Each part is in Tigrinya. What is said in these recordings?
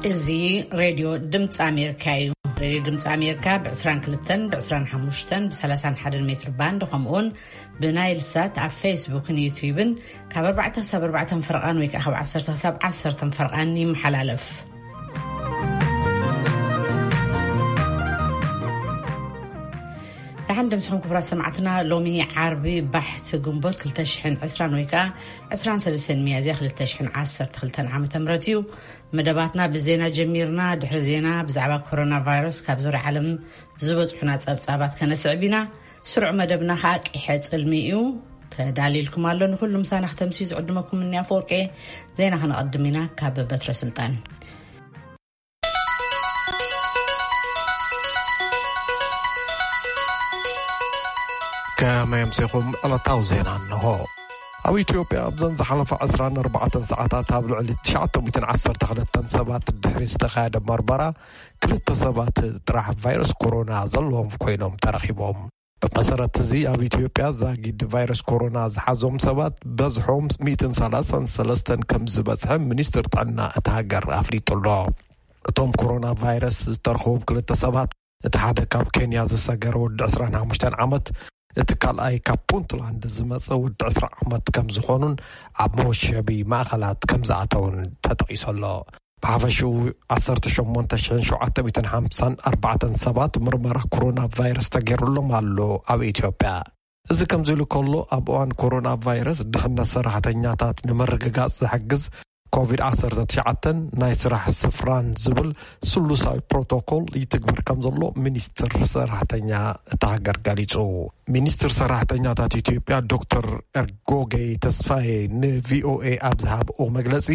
እዚ ሬድዮ ድምፂ ኣሜሪካ እዩ። ሬድዮ ድምፂ ኣሜሪካ ብ22፣ ብ25፣ ብ31 ሜትር ባንድ፣ ከምኡውን ብናይል ሳት ኣብ ፌስቡክን ዩቲዩብን ካብ ኣርባዕተ ክሳብ ኣርባዕተ ፈረቓን ወይ ከዓ ካብ ዓሰርተ ክሳብ ዓሰርተ ፈረቓን ይመሓላለፍ። ደሓን ደምስኹም ክቡራት ሰማዕትና። ሎሚ ዓርቢ ባሕቲ ግንቦት ክልተ ሽሕን ዕስራን ወይ ከዓ ዕስራን ሰለስተን ሚያዝያ ክልተ ሽሕን ዓሰርተ ክልተን ዓመተ ምህረት እዩ። መደባትና ብዜና ጀሚርና። ድሕሪ ዜና ብዛዕባ ኮሮና ቫይረስ ካብ ዙርያ ዓለም ዝበጽሑና ጸብጻባት ከነስዕብ ኢና። ስሩዕ መደብና ከዓ ቂሐ ጽልሚ እዩ። ተዳሊልኩም ኣሎ። ንኹሉ ምሳና ክተምስዩ ዝዕድመኩም እኒ ኣፈወርቄ። ዜና ከነቐድም ኢና ካብ በትረ ስልጣን። ከመይ ኣምሲኹም? ዕለታዊ ዜና እንሆ። ኣብ ኢትዮጵያ ኣብዘን ዝሓለፋ ዕስራን ኣርባዕተን ሰዓታት ኣብ ልዕሊ ትሽዓተ ሚእትን ዓሰርተ ክልተን ሰባት ድሕሪ ዝተኻየደ መርመራ፣ ክልተ ሰባት ጥራሕ ቫይረስ ኮሮና ዘለዎም ኮይኖም ተረኺቦም። ብመሰረት እዚ፣ ኣብ ኢትዮጵያ ዛጊድ ቫይረስ ኮሮና ዝሓዞም ሰባት በዝሖም ሚእትን ሰላሳን ሰለስተን ከም ዝበጽሐ ሚኒስትር ጥዕና እታ ሃገር ኣፍሊጡ ኣሎ። እቶም ኮሮና ቫይረስ ዝተረኸቦም ክልተ ሰባት፣ እቲ ሓደ ካብ ኬንያ ዝሰገረ ወዲ ዕስራን ሓሙሽተን ዓመት፣ እቲ ካልኣይ ካብ ፑንትላንድ ዝመጸ ወዲ ዕስራ ዓመት ከም ዝኾኑን ኣብ መወሸቢ ማእኸላት ከም ዝኣተውን ተጠቒሱ ኣሎ። ብሓፈሽኡ ዓሰርተ ሸሞንተ ሽሕን ሸውዓተ ሚእትን ሓምሳን ኣርባዕተን ሰባት ምርመራ ኮሮና ቫይረስ ተገይሩሎም ኣሎ ኣብ ኢትዮጵያ። እዚ ከምዚ ኢሉ ከሎ፣ ኣብ እዋን ኮሮና ቫይረስ ድሕነት ሰራሕተኛታት ንምርግጋጽ ዝሕግዝ ኮቪድ ዓሰርተ ትሽዓተ ናይ ስራሕ ስፍራን ዝብል ስሉሳዊ ፕሮቶኮል ይትግበር ከም ዘሎ ሚኒስትር ሰራሕተኛ እታ ሃገር ገሊጹ። ሚኒስትር ሰራሕተኛታት ኢትዮጵያ ዶክተር ኤርጎጌ ተስፋዬ ንቪኦኤ ኣብ ዝሃብኦ መግለጺ፣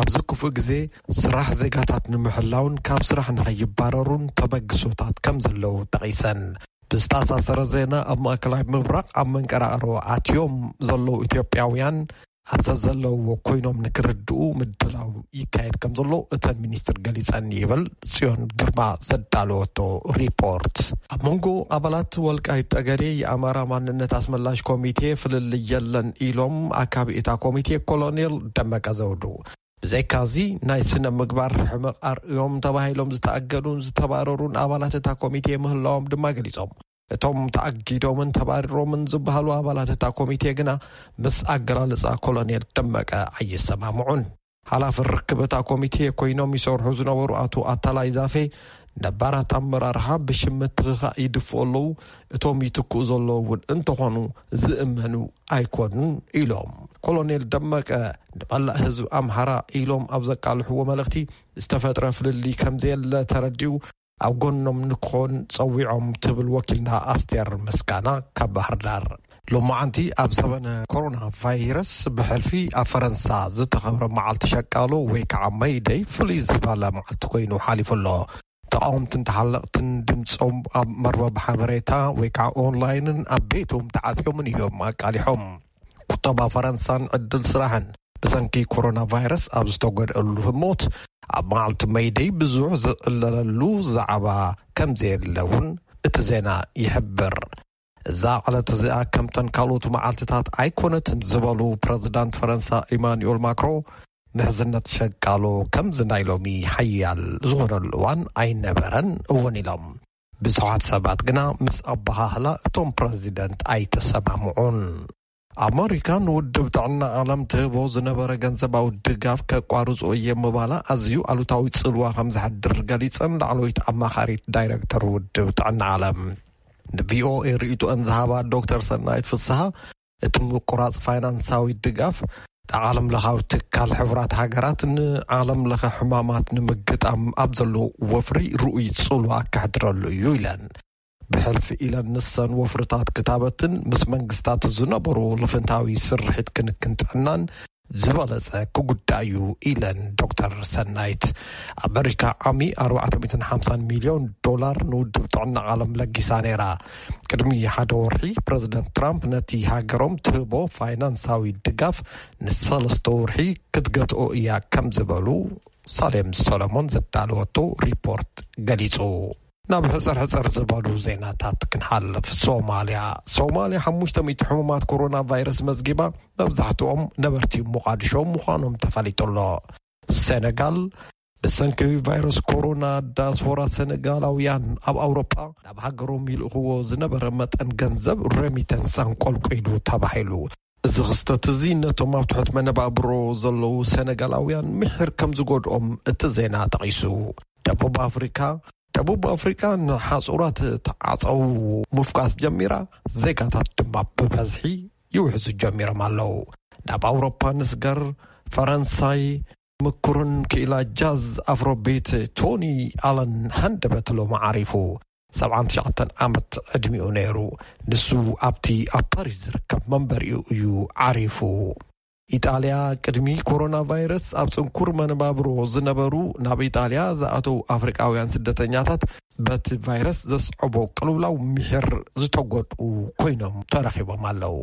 ኣብዚ ክፉእ ግዜ ስራሕ ዜጋታት ንምሕላውን ካብ ስራሕ ንኸይባረሩን ተበግሶታት ከም ዘለዉ ጠቒሰን። ብዝተኣሳሰረ ዜና፣ ኣብ ማእከላይ ምብራቕ ኣብ መንቀራቕሮ ኣትዮም ዘለዉ ኢትዮጵያውያን ኣብ ዘዘለውዎ ኮይኖም ንክርድኡ ምድላው ይካየድ ከም ዘሎ እተን ሚኒስትር ገሊጸን ይብል ጽዮን ግርማ ዘዳለወቶ ሪፖርት። ኣብ መንጎ ኣባላት ወልቃይት ጠገዴ የኣማራ ማንነት ኣስመላሽ ኮሚቴ ፍልልይ የለን ኢሎም ኣካቢ እታ ኮሚቴ ኮሎኔል ደመቀ ዘውዱ። ብዘይካዚ ናይ ስነ ምግባር ሕመቕ ኣርእዮም ተባሂሎም ዝተኣገዱን ዝተባረሩን ኣባላት እታ ኮሚቴ ምህላዎም ድማ ገሊጾም። እቶም ተኣጊዶምን ተባሪሮምን ዝበሃሉ ኣባላት እታ ኮሚቴ ግና ምስ ኣገላልጻ ኮሎኔል ደመቀ ኣይሰማምዑን። ሓላፊ ርክብ እታ ኮሚቴ ኮይኖም ይሰርሑ ዝነበሩ ኣቶ ኣታላይ ዛፌ፣ ነባራት ኣመራርሓ ብሽም ምትኽኻእ ይድፍኡ ኣለዉ፣ እቶም ይትክኡ ዘለዉ እውን እንተኾኑ ዝእመኑ ኣይኮኑን ኢሎም። ኮሎኔል ደመቀ ንመላእ ህዝቢ ኣምሓራ ኢሎም ኣብ ዘቃልሕዎ መልእኽቲ፣ ዝተፈጥረ ፍልልይ ከም ዘየለ ተረዲኡ ኣብ ጎኖም ንክኾን ጸዊዖም ትብል ወኪልና ኣስቴር ምስጋና ካብ ባህር ዳር። ሎማዓንቲ ኣብ ዘበነ ኮሮና ቫይረስ ብሕልፊ ኣብ ፈረንሳ ዝተኸብረ መዓልቲ ሸቃሎ ወይ ከዓ መይደይ ፍሉይ ዝበለ መዓልቲ ኮይኑ ሓሊፉ ኣሎ። ተቓወምትን ተሓለቕትን ድምፆም ኣብ መርበብ ሓበሬታ ወይ ከዓ ኦንላይንን ኣብ ቤቶም ተዓፅዮምን እዮም ኣቃሊሖም። ቁጠባ ፈረንሳን ዕድል ስራሕን ብሰንኪ ኮሮና ቫይረስ ኣብ ዝተጎድኣሉ ህሞት፣ ኣብ መዓልቲ መይደይ ብዙሕ ዝዕለለሉ ዛዕባ ከም ዘየለ እውን እቲ ዜና ይሕብር። እዛ ዕለት እዚኣ ከምተን ካልኦት መዓልትታት ኣይኮነትን ዝበሉ ፕረዚዳንት ፈረንሳ ኢማኑኤል ማክሮ፣ ምሕዝነት ሸቃሎ ከምዚ ናይ ሎሚ ሓያል ዝኾነሉ እዋን ኣይነበረን እውን ኢሎም። ብዙሓት ሰባት ግና ምስ ኣበሃህላ እቶም ፕረዚደንት ኣይተሰማምዑን። ኣመሪካ ንውድብ ጥዕና ዓለም ትህቦ ዝነበረ ገንዘባዊ ድጋፍ ከቋርጾ እየ ምባላ ኣዝዩ ኣሉታዊ ጽልዋ ከም ዘሕድር ገሊጸን ላዕለወይቲ ኣማኻሪት ዳይሬክተር ውድብ ጥዕና ዓለም ንቪኦኤ ርእይቶአን ዝሃባ ዶክተር ሰናይት ፍስሃ፣ እቲ ምቁራጽ ፋይናንሳዊ ድጋፍ ዓለም ለኻዊ ትካል ሕቡራት ሃገራት ንዓለም ለኸ ሕማማት ንምግጣም ኣብ ዘሎ ወፍሪ ርኡይ ጽልዋ ከሕድረሉ እዩ ኢለን። ብሕልፊ ኢለን ንሰን ወፍርታት ክታበትን ምስ መንግስታት ዝነበሩ ልፍንታዊ ስርሒት ክንክን ጥዕናን ዝበለጸ ክጉዳ እዩ ኢለን ዶክተር ሰናይት። ኣመሪካ ዓሚ ኣርባዕተ ሚእትን ሓምሳን ሚልዮን ዶላር ንውድብ ጥዕና ዓለም ለጊሳ ነይራ። ቅድሚ ሓደ ወርሒ ፕረዚደንት ትራምፕ ነቲ ሃገሮም ትህቦ ፋይናንሳዊ ድጋፍ ንሰለስተ ወርሒ ክትገትኦ እያ ከም ዝበሉ ሳሌም ሰሎሞን ዘዳለወቶ ሪፖርት ገሊጹ። ናብ ሕጽር ሕጽር ዝበሉ ዜናታት ክንሓልፍ። ሶማልያ። ሶማልያ ሓሙሽተ ሚእቲ ሕሙማት ኮሮና ቫይረስ መዝጊባ፣ መብዛሕትኦም ነበርቲ ሞቓድሾ ምዃኖም ተፈሊጡ ኣሎ። ሴነጋል ብሰንኪ ቫይረስ ኮሮና፣ ዳያስፖራ ሰነጋላውያን ኣብ ኣውሮጳ ናብ ሃገሮም ይልእኽዎ ዝነበረ መጠን ገንዘብ፣ ሬሚተንስ፣ ኣንቆልቂሉ ተባሂሉ። እዚ ክስተት እዚ ነቶም ኣብ ትሑት መነባብሮ ዘለዉ ሰነጋላውያን ምሒር ከም ዝጎድኦም እቲ ዜና ጠቒሱ። ደቡብ ኣፍሪካ ደቡብ ኣፍሪካ ንሓጹራት ተዓጸው ምፍኳስ ጀሚራ፣ ዜጋታት ድማ ብበዝሒ ይውሕዙ ጀሚሮም ኣለዉ። ናብ ኣውሮፓ ንስገር። ፈረንሳይ፣ ምኩርን ክኢላ ጃዝ ኣፍሮቤት ቶኒ ኣለን ሃንደበት ሎሚ ዓሪፉ። ሰብዓን ትሽዓተን ዓመት ዕድሚኡ ነይሩ። ንሱ ኣብቲ ኣብ ፓሪስ ዝርከብ መንበሪኡ እዩ ዓሪፉ። ኢጣልያ፣ ቅድሚ ኮሮና ቫይረስ ኣብ ጽንኩር መነባብሮ ዝነበሩ ናብ ኢጣልያ ዝኣተዉ ኣፍሪቃውያን ስደተኛታት በቲ ቫይረስ ዘስዕቦ ቅልውላው ምሒር ዝተጎድኡ ኮይኖም ተረኺቦም ኣለዉ።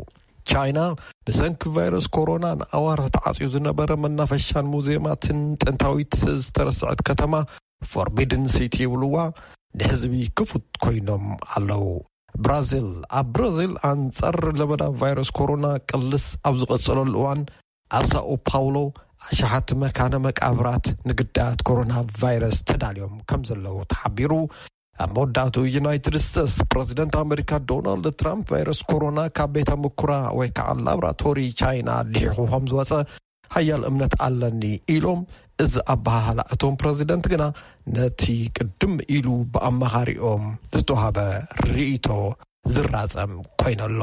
ቻይና፣ ብሰንኪ ቫይረስ ኮሮና ንኣዋርሕ ተዓጽዩ ዝነበረ መናፈሻን ሙዚየማትን ጥንታዊት ዝተረስዐት ከተማ፣ ፎርቢድን ሲቲ ይብልዋ፣ ንህዝቢ ክፉት ኮይኖም ኣለዉ። ብራዚል፣ ኣብ ብራዚል ኣንጻር ለበዳ ቫይረስ ኮሮና ቅልስ ኣብ ዝቐጸለሉ እዋን፣ ኣብ ሳኦ ፓውሎ ኣሽሓት መካነ መቃብራት ንግዳያት ኮሮና ቫይረስ ተዳልዮም ከም ዘለዉ ተሓቢሩ። ኣብ መወዳእቱ፣ ዩናይትድ ስቴትስ፣ ፕረዚደንት ኣመሪካ ዶናልድ ትራምፕ ቫይረስ ኮሮና ካብ ቤተ ምኩራ ወይ ከዓ ላብራቶሪ ቻይና ልሒኹ ከም ዝወጸ ሓያል እምነት ኣለኒ ኢሎም። እዚ ኣበሃህላ እቶም ፕረዚደንት ግና ነቲ ቅድም ኢሉ ብኣማኻሪኦም ዝተዋህበ ርእይቶ ዝራጸም ኮይነሎ።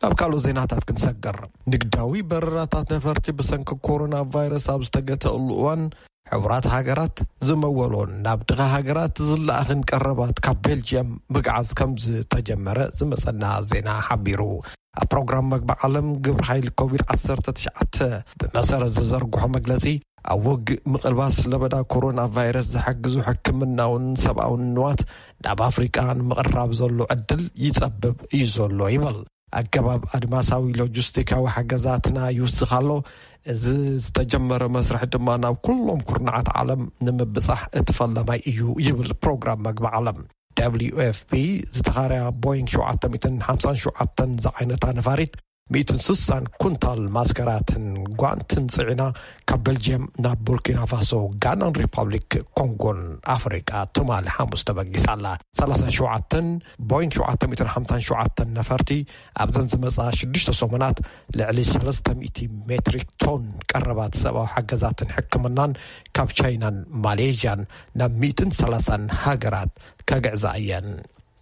ናብ ካልኦት ዜናታት ክንሰግር። ንግዳዊ በረራታት ነፈርቲ ብሰንኪ ኮሮና ቫይረስ ኣብ ዝተገተእሉ እዋን፣ ሕቡራት ሃገራት ዝመወሎን ናብ ድኻ ሃገራት ዝለኣኽን ቀረባት ካብ ቤልጅየም ምግዓዝ ከም ዝተጀመረ ዝመጸና ዜና ሓቢሩ። ኣብ ፕሮግራም መግቢ ዓለም ግብሪ ሓይሊ ኮቪድ ዓሰርተ ትሽዓተ ብመሰረት ዝዘርግሖ መግለጺ፣ ኣብ ውግእ ምቕልባስ ለበዳ ኮሮና ቫይረስ ዝሕግዙ ሕክምናውን ሰብኣውን ንዋት ናብ ኣፍሪቃ ንምቕራብ ዘሎ ዕድል ይጸብብ እዩ ዘሎ ይብል። ኣገባብ ኣድማሳዊ ሎጂስቲካዊ ሓገዛትና ይውስኽ ኣሎ። እዚ ዝተጀመረ መስርሕ ድማ ናብ ኩሎም ኩርናዓት ዓለም ንምብጻሕ እቲ ፈላማይ እዩ ይብል ፕሮግራም መግቢ ዓለም። ደብሊዩ ኤፍ ፒ ዝተኻርያ ቦይንግ ሸውዓተ ሚእትን ሓምሳን ሸውዓተን ዝዓይነታ ነፋሪት፣ ሚእትን ስሳን ኩንታል ማስከራትን ጓንትን ጽዒና ካብ ቤልጅየም ናብ ቡርኪና ፋሶ፣ ጋናን ሪፓብሊክ ኮንጎን ኣፍሪቃ ትማሊ ሓሙስ ተበጊሳ ኣላ። ሰላሳን ሸውዓተን ቦይንግ ሸውዓተ ሚእትን ሓምሳን ሸውዓተን ነፈርቲ ኣብዘን ዝመጻ ሽዱሽተ ሰሙናት ልዕሊ ሰለስተ ሚእቲ ሜትሪክ ቶን ቀረባት ሰብኣዊ ሓገዛትን ሕክምናን ካብ ቻይናን ማሌዥያን ናብ ሚእትን ሰላሳን ሃገራት ከግዕዛ እየን።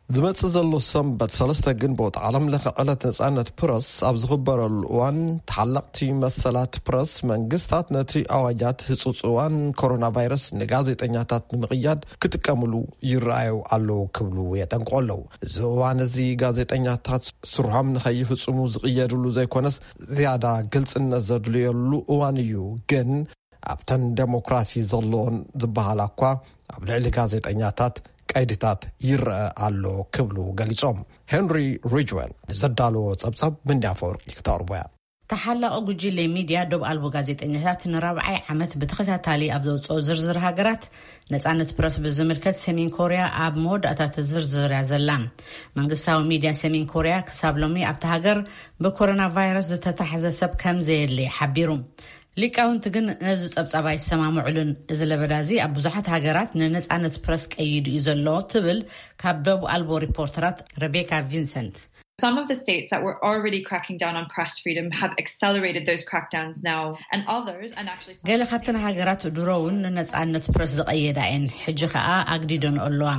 ዝመጽእ ዘሎ ሰንበት ሰለስተ ግንቦት ዓለም ለኸ ዕለት ነጻነት ፕረስ ኣብ ዝኽበረሉ እዋን፣ ተሓለቕቲ መሰላት ፕረስ መንግስታት ነቲ ኣዋጃት ህጹጽ እዋን ኮሮና ቫይረስ ንጋዜጠኛታት ንምቕያድ ክጥቀምሉ ይረኣዩ ኣለዉ ክብሉ የጠንቅቑ ኣለዉ። እዚ እዋን እዚ ጋዜጠኛታት ስርሖም ንኸይፍጽሙ ዝቕየድሉ ዘይኮነስ፣ ዝያዳ ግልጽነት ዘድልየሉ እዋን እዩ። ግን ኣብተን ደሞክራሲ ዘለዎን ዝበሃላ እኳ ኣብ ልዕሊ ጋዜጠኛታት ቀይድታት ይረአ ኣሎ ክብሉ ገሊጾም። ሄንሪ ሪጅዌል ንዘዳለዎ ጸብጻብ ምንዲ ኣፈወርቂ ክተቕርቦ እያ። ተሓላቒ ጉጅለ ሚድያ ዶብ ኣልቦ ጋዜጠኛታት ንራብዓይ ዓመት ብተኸታታሊ ኣብ ዘውፅኦ ዝርዝር ሃገራት፣ ነፃነት ፕረስ ብዝምልከት ሰሜን ኮርያ ኣብ መወዳእታ እቲ ዝርዝር እያ ዘላ። መንግስታዊ ሚድያ ሰሜን ኮርያ ክሳብ ሎሚ ኣብቲ ሃገር ብኮሮና ቫይረስ ዝተታሕዘ ሰብ ከም ዘየለ ሓቢሩ። ሊቃውንቲ ግን ነዚ ጸብጻብ ኣይሰማምዕሉን። እዚ ለበዳ እዚ ኣብ ብዙሓት ሃገራት ንነጻነት ፕረስ ቀይዱ እዩ ዘሎ ትብል ካብ ደቡብ ኣልቦ ሪፖርተራት ረቤካ ቪንሰንት። Some of the states that were already cracking down on press freedom have accelerated those crackdowns now, and others, and actually some ገለ ካብተን ሃገራት ድሮ እውን ንነጻነት ፕረስ ዝቐየዳ እየን፣ ሕጂ ከኣ ኣግዲደን ኣለዋ።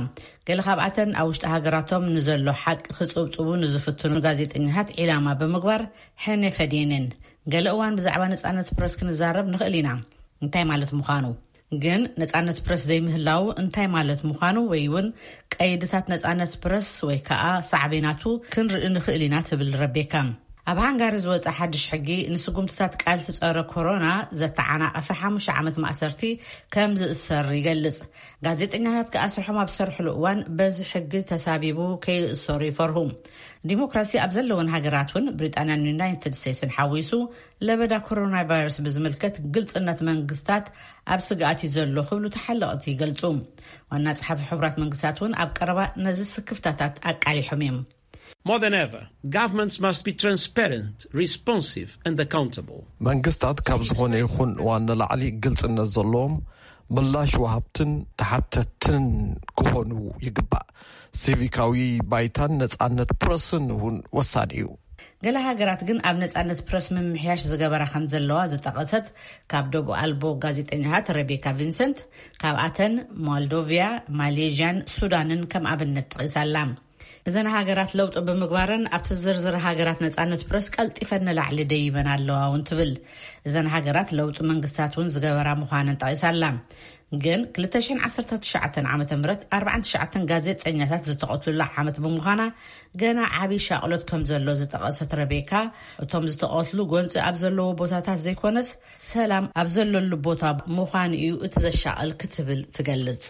ገለ ካብኣተን ኣብ ውሽጢ ሃገራቶም ንዘሎ ሓቂ ክጽብጽቡ ንዝፍትኑ ጋዜጠኛታት ዒላማ ብምግባር ሕነ ፈድየንን። ገለ እዋን ብዛዕባ ነጻነት ፕረስ ክንዛረብ ንኽእል ኢና፣ እንታይ ማለት ምዃኑ። ግን ነጻነት ፕረስ ዘይምህላው እንታይ ማለት ምዃኑ ወይ እውን ቀይድታት ነጻነት ፕረስ ወይ ከኣ ሳዕቤናቱ ክንርኢ ንኽእል ኢና ትብል ረቤካ። ኣብ ሃንጋሪ ዝወጸ ሓድሽ ሕጊ ንስጉምትታት ቃልሲ ጸረ ኮሮና ዘተዓናቐፈ ሓሙሽተ ዓመት ማእሰርቲ ከም ዝእሰር ይገልጽ። ጋዜጠኛታት ከኣ ስርሖም ኣብ ዝሰርሕሉ እዋን በዚ ሕጊ ተሳቢቡ ከይእሰሩ ይፈርሁ። ዲሞክራሲ ኣብ ዘለወን ሃገራት እውን ብሪጣንያን ዩናይትድ ስቴትስን ሓዊሱ ለበዳ ኮሮና ቫይረስ ብዝምልከት ግልጽነት መንግስታት ኣብ ስግኣት እዩ ዘሎ ክብሉ ተሓለቕቲ ይገልጹ። ዋና ጸሓፊ ሕቡራት መንግስታት እውን ኣብ ቀረባ ነዚ ስክፍታታት ኣቃሊሖም እዮም። More than ever, governments must be transparent, responsive and accountable. መንግስታት ካብ ዝኾነ ይኹን እዋን ንላዕሊ ግልጽነት ዘለዎም፣ ምላሽ ወሃብትን ተሓተትን ክኾኑ ይግባእ። ሲቪካዊ ባይታን ነጻነት ፕረስን እውን ወሳኒ እዩ። ገለ ሃገራት ግን ኣብ ነጻነት ፕረስ ምምሕያሽ ዝገበራ ከም ዘለዋ ዝጠቐሰት ካብ ደቡብ ኣልቦ ጋዜጠኛታት ረቤካ ቪንሰንት፣ ካብኣተን ሞልዶቪያ፣ ማሌዥያን ሱዳንን ከም ኣብነት ጠቒሳላ። እዘን ሃገራት ለውጢ ብምግባረን ኣብቲ ዝርዝር ሃገራት ነጻነት ፕረስ ቀልጢፈን ንላዕሊ ደይበን ኣለዋ እውን ትብል። እዘን ሃገራት ለውጢ መንግስታት እውን ዝገበራ ምዃነን ጠቒሳላ። ግን ክልተ ሽሕን ዓሰርተ ትሽዓተን ዓመተ ምህረት ኣርባዓን ትሽዓተን ጋዜጠኛታት ዝተቐትሉላ ዓመት ብምዃና ገና ዓብዪ ሻቕሎት ከም ዘሎ ዝጠቐሰት ረቤካ፣ እቶም ዝተቐትሉ ጎንፂ ኣብ ዘለዎ ቦታታት ዘይኮነስ ሰላም ኣብ ዘለሉ ቦታ ምዃኑ እዩ እቲ ዘሻቕል ክትብል ትገልጽ።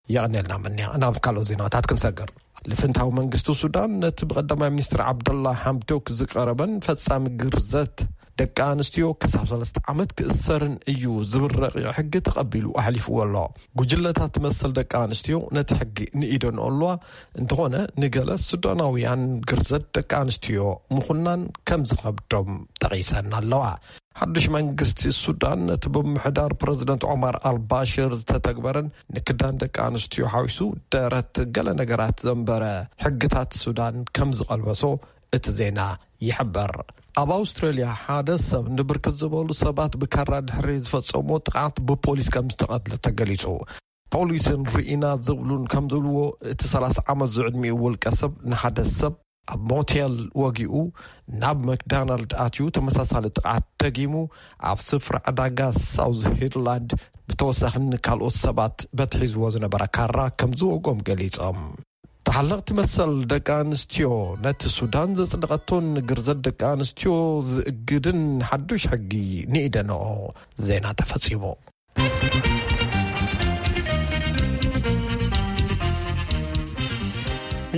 የቐንየልና ምንያ። ናብ ካልኦት ዜናታት ክንሰግር። ልፍንታዊ መንግስቲ ሱዳን ነቲ ብቀዳማይ ሚኒስትር ዓብደላ ሓምዶክ ዝቀረበን ፈጻሚ ግርዘት ደቂ ኣንስትዮ ክሳብ ሰለስተ ዓመት ክእሰርን እዩ ዝብል ረቂቕ ሕጊ ተቐቢሉ ኣሕሊፍዎ ኣሎ። ጉጅለታት መሰል ደቂ ኣንስትዮ ነቲ ሕጊ ንኢደን ኣለዋ። እንተኾነ ንገለ ሱዳናውያን ግርዘት ደቂ ኣንስትዮ ምኹናን ከም ዝኸብዶም ጠቒሰን ኣለዋ። ሓድሽ መንግስቲ ሱዳን ነቲ ብምሕዳር ፕረዚደንት ዖማር ኣልባሽር ዝተተግበረን ንክዳን ደቂ ኣንስትዮ ሓዊሱ ደረት ገለ ነገራት ዘንበረ ሕግታት ሱዳን ከም ዝቐልበሶ እቲ ዜና ይሕበር። ኣብ ኣውስትራልያ ሓደ ሰብ ንብርክት ዝበሉ ሰባት ብካራ ድሕሪ ዝፈጸሞ ጥቕዓት ብፖሊስ ከም ዝተቐትለ ተገሊጹ። ፖሊስን ርኢና ዝብሉን ከም ዝብልዎ፣ እቲ ሰላሳ ዓመት ዝዕድሚኡ ውልቀ ሰብ ንሓደ ሰብ ኣብ ሞቴል ወጊኡ ናብ መክዳናልድ ኣትዩ ተመሳሳሊ ጥቕዓት ደጊሙ ኣብ ስፍራ ዕዳጋ ሳውዝ ሂርላንድ ብተወሳኺ ንካልኦት ሰባት በቲ ሒዝዎ ዝነበረ ካራ ከም ዝወጎም ገሊጾም። ተሓለቕቲ መሰል ደቂ ኣንስትዮ ነቲ ሱዳን ዘጽደቐቶን ግርዘት ደቂ ኣንስትዮ ዝእግድን ሓዱሽ ሕጊ ንኢደንኦ። ዜና ተፈጺሙ።